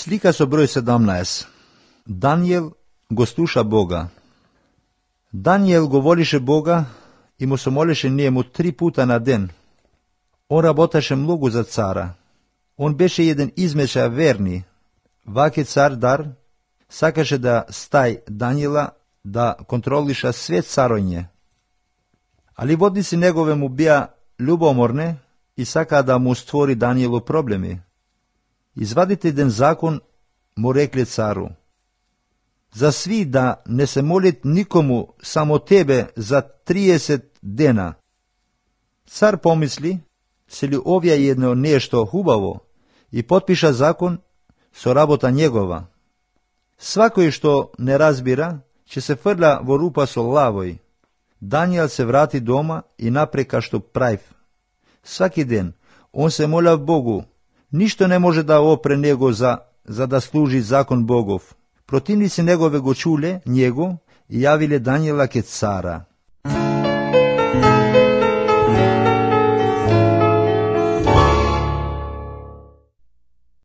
Slika so broj 17. Danijel go sluša Boga. Danijel govoriše Boga i mu se moliše njemu 3 puta na den. On rabotaše mnogo za cara. On beše jedan izmeča verni. Vaki car dar sakaše da staj Danijela da kontroliša sve caronje. Ali vodnici njegove mu bija ljubomorne i saka da mu stvori Danijelu problemi. Izvadite den zakon, mu rekli caru. Za svi da ne se molit nikomu, samo tebe za 30 dena. Car pomisli, se li ovja jedno nešto hubavo i potpiša zakon, so rabota njegova. Svako što ne razbira, će se frla vo rupa so lavoj. Danijel se vrati doma i napreka što pravi. Svaki den on se mola Bogu, ništo ne može da opre njego za da služi zakon Bogov. Protivnici njegove go čule njego i javile Danijela ke cara.